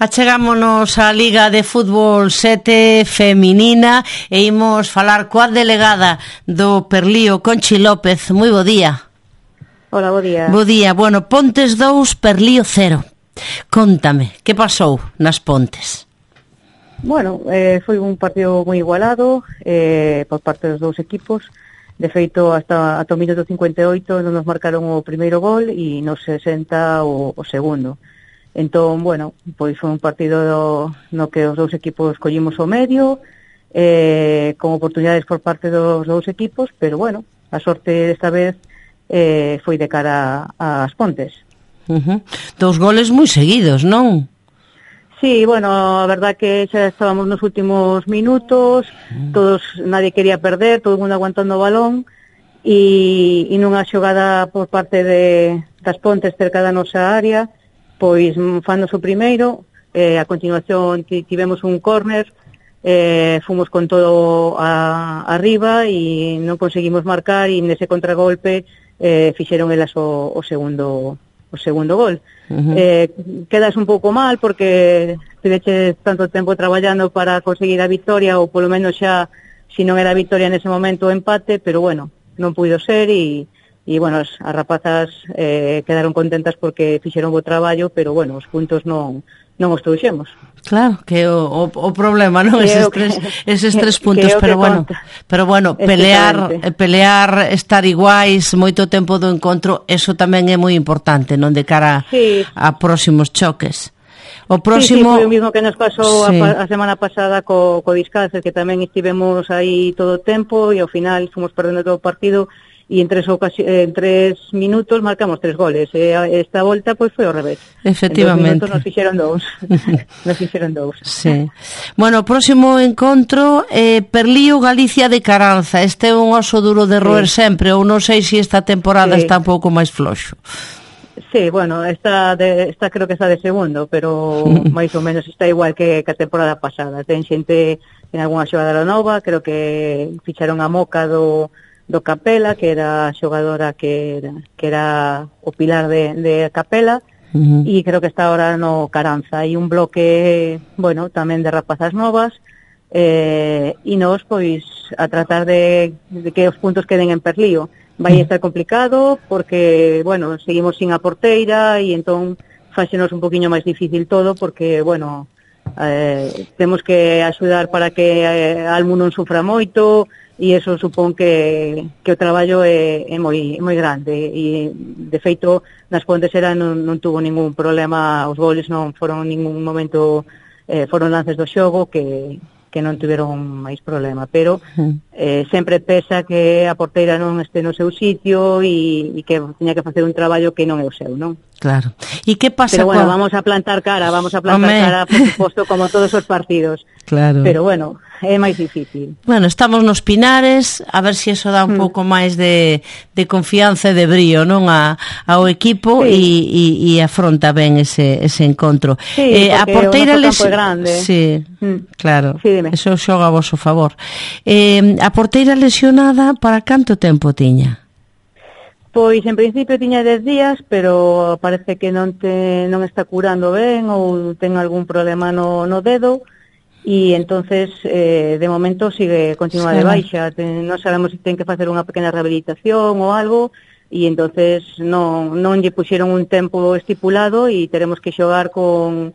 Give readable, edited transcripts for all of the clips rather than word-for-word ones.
Achegámonos á Liga de Fútbol 7 feminina e imos falar coa delegada do Perlío, Conchi López. Moi bo día. Hola, bo día. Bo día. Bueno, Pontes 2, Perlío 0. Contame, que pasou nas Pontes? Bueno, foi un partido moi igualado por parte dos dous equipos. De feito, ata o minuto 58 non nos marcaron o primeiro gol e nos 60 o segundo. Entón, bueno, pois foi un partido no que os dous equipos collimos o medio, con oportunidades por parte dos dous equipos, pero bueno, a sorte desta vez foi de cara ás Pontes. Dous goles moi seguidos, non? Sí, bueno, a verdad que xa estábamos nos últimos minutos, nadie quería perder, todo o mundo aguantando o balón, e nunha xogada por parte das Pontes cerca da nosa área, pois fannos o primeiro, a continuación tivemos un córner, fomos con todo arriba e non conseguimos marcar, e nese contragolpe fixeron elas o segundo gol. Quedas un pouco mal porque estiveches tanto tempo traballando para conseguir a victoria, ou polo menos xa, se non era a victoria nese momento, o empate, pero bueno, non puido ser e bueno, as rapazas quedaron contentas porque fixeron o traballo, pero bueno, os puntos non os trouxemos. Claro, que o problema, non? Eses tres puntos, pero bueno, pelear, estar iguais moito tempo do encontro, eso tamén é moi importante, non, de cara a próximos choques. O próximo... Sí, foi o mismo que nos pasou a semana pasada co Discalces, que tamén estivemos aí todo o tempo e ao final fomos perdendo todo o partido e en 3 minutos marcamos 3 goles. Esta volta pois foi ao revés. Efectivamente. En 2 minutos nos fixeron dous. Sí. Bueno, o próximo encontro Perlío Galicia de Caranza. Este é un oso duro de roer sempre, ou non sei se esta temporada está un pouco máis floxo. Sí, bueno, esta creo que está de segundo, pero máis ou menos está igual que a temporada pasada. Ten xente en algunha xogada nova, creo que ficharon a Moca do Capela, que era a xogadora que era o pilar de Capela, e creo que está ahora no Caranza. Hai un bloque, bueno, tamén de rapazas novas, e nós, pois, a tratar de que os puntos queden en Perlío. Vai estar complicado porque, bueno, seguimos sin a porteira e entón fáxenos un poquinho máis difícil todo porque, bueno, temos que axudar para que Almu non sufra moito e eso supón que o traballo é moi grande e, de feito, nas Pontes non tuvo ningún problema, os goles non foron en ningún momento, foron lances do xogo que non tiveron máis problema, pero sempre pesa que a porteira non este no seu sitio e que teña que facer un traballo que non é o seu, non? Claro. E que pasa? Pero bueno, vamos a plantar cara, por suposto, como todos os partidos. Claro. Pero bueno, é máis difícil. Bueno, estamos nos Pinares, a ver se eso dá un pouco máis de confianza e de brío, non, ao equipo e afronta ben ese encontro. Sí, a porteira o campo é grande. Sí, claro. Sí, dime. Eso xoga a vosso favor. A porteira lesionada, para canto tempo tiña? Pois, en principio tiña 10 días, pero parece que non está curando ben ou ten algún problema no dedo e entonces de momento continúa de baixa. Non sabemos se ten que facer unha pequena rehabilitación ou algo e entonces non lle puxeron un tempo estipulado e teremos que xogar con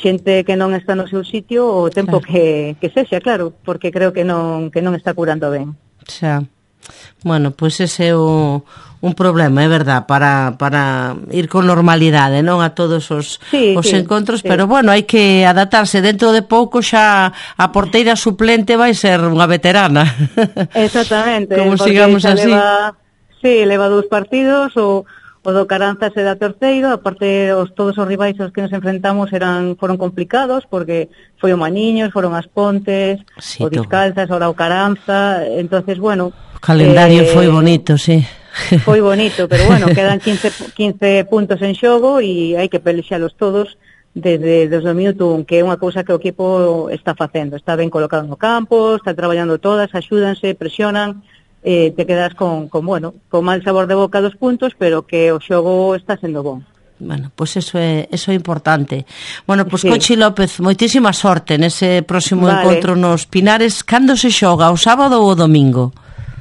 xente que non está no seu sitio o tempo que sexa, claro, porque creo que non está curando ben. Xa. Bueno, pois ese é un problema, é verdad, para ir con normalidade, non, a todos os encontros, pero bueno, hai que adaptarse. Dentro de pouco xa a porteira suplente vai ser unha veterana. Exactamente. Como sigamos así. Leva 2 partidos, o do Caranza se dá terceiro, aparte todos os rivais aos que nos enfrentamos foron complicados, porque foi o Maniños, foron as Pontes, o Discalces, ora o Caranza, entonces, bueno... O calendario foi bonito, sí. Foi bonito, pero bueno, quedan 15 puntos en xogo e hai que pelexalos todos desde o minuto 1, que é unha cousa que o equipo está facendo. Está ben colocado no campo, está traballando todas, axúdanse, presionan, te quedas con mal sabor de boca dos puntos, pero que o xogo está sendo bon. Bueno, pois eso é importante. Bueno, pois Conchi López, moitísima sorte nese próximo encontro nos Pinares. Cando se xoga, o sábado ou o domingo?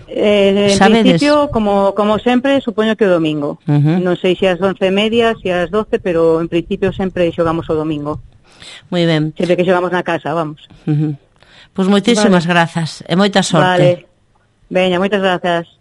En principio, como sempre, supoño que o domingo. Non sei se ás 11:30, se ás 12, pero en principio sempre xogamos o domingo. Moi ben. Sempre que xogamos na casa, vamos. Pois moitísimas grazas e moita sorte. Vale. Veña, moitas grazas.